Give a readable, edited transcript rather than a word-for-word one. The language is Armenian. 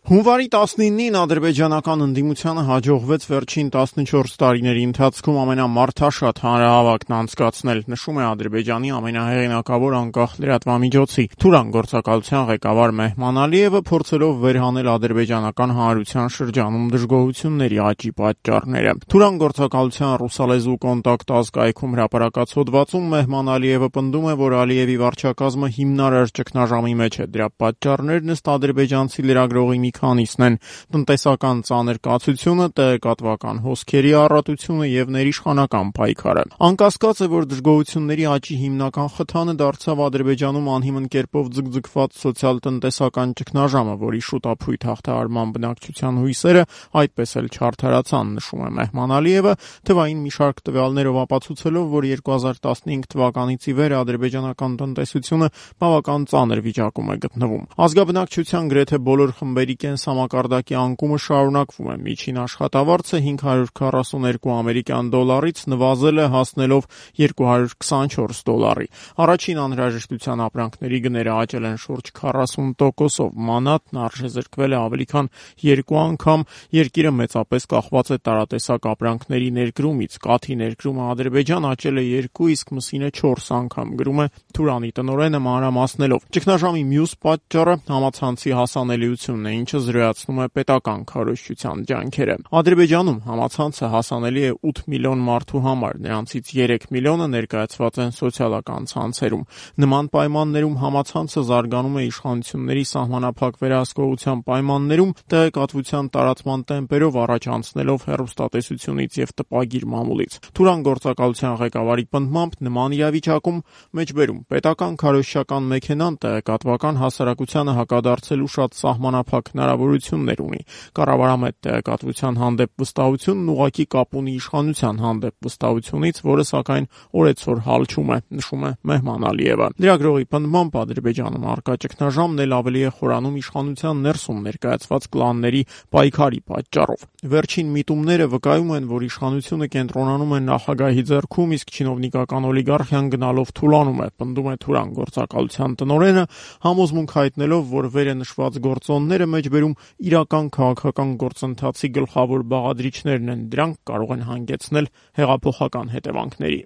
Հունվարի 19-ին ադրբեջանական ընդդիմությանը հաջողվեց վերջին 14 տարիների ընթացքում ամենամարդաշատ հանրահավաքն անցկացնել, նշում է Ադրբեջանի ամենահեղինակավոր անկախ լրատվամիջոցի Թուրան գործակալության ղեկավար Մեհման Ալիևը, փորձելով վերհանել ադրբեջանական հանրության շրջանում դժգոհությունների աճի պատճառները։ Թուրան գործակալության ռուսալեզու կոնտակտ ազգայքում հրապարակած հոդվածում Մեհման Ալիևը պնդում է, որ Ալիևի վարչակազմը հիմնարար ճգնաժամի մեջ է։ Դրա պատճառներն ըստ ադրբեջանցի լրագրողի մի քանիսն են՝ տնտեսական ծանր կացությունը, տեղեկատվական հոսքերի առատությունը եւ ներիշխանական պայքարը։ Անկասկած է, որ դժգոհությունների աճի հիմնական խթանը դարձավ Ադրբեջանում անհիմն կերպով ձգձգված սոցիալ-տնտեսական ճգնաժամը, որի շուտափույթ հաղթահարման բնակչության հույսերը այդպես էլ չարդարացան, նշում է Մեհման Ալիևը, թվային մի շարք տվյալներով ապացուցելով, որ 2015 թվականից ի վեր ադրբեջանական տնտեսությունը բավական ծանր վիճակում է գտնվում։ Ազգաբնակչության գրեթե բոլոր խմբերի կենսամակարդակի անկումը շարունակվում է։ Միջին աշխատավարձը 542 ամերիկյան դոլարից նվազել է, հասնելով 224 դոլարի։ Առաջին անհրաժեշտության ապրանքների գները աճել են շուրջ 40%-ով։ Մանատն արժեզրկվել է ավելի քան 2 անգամ։ Երկիրը մեծապես կախված է տարատեսակ ապրանքների ներկրումից։ Կաթի ներկրումը Ադրբեջան աճել է 2, իսկ մսինը 4 անգամ, գրում է Թուրանի տնօրենը մանրամասնելով։ Ճգնաժամի մյուս պատճառը համացանցի հասանելիությունն է, ինչը զրոյացնում է պետական քարոզչության ջանքերը։ Ադրբեջանում համացանցը հասանելի է 8 միլիոն մարդու համար, նրանցից 3 միլիոնը ներկայացված են սոցիալական ցանցերում։ Նման պայմաններում համացանցը զարգանում է իշխանությունների սահմանափակ վերահսկողության պայմաններում, տեղեկատվության տարածման տեմպերով առաջ անցնելով հեռուստատեսությունից եւ տպագիր մամուլից։ Թուրան գործակալության ղեկավարի պնդմամբ նման իրավիճակում մեջբերում պետական քարոզչական մեքենան տեղեկատվական հասարակությանը հակադարձելու շատ սահմանափակ հնարավորություններ ունի։ Կառավարամետ տեղեկատվության հանդեպ վստահությունն ուղղակի կապ ունի իշխանության հանդեպ վստահությունից, որը սակայն օրեցօր հալչում է, նշում է Մեհման Ալիևը։ Լրագրողի պնդմամբ Ադրբեջանում առկա ճգնաժամն էլ ավելի է խորանում իշխանության ներսում ներկայացված կլանների պայքարի պատճառով։ Վերջին միտումները վկայում են, որ իշխանությունը կենտրոնանում է նախագահի ձեռքում, իսկ չինովնիկական օլիգարխիան գնալով թուլանում է, պնդում է Թուրան գործակալության տնօրենը, համոզմունք հայտնելով, որ վերը նշված գործոնները մեջբերում իրական քաղաքական գործընթացի գլխավոր բաղադրիչներն են, դրանք կարող են հանգեցնել հեղափոխական հետևանքների։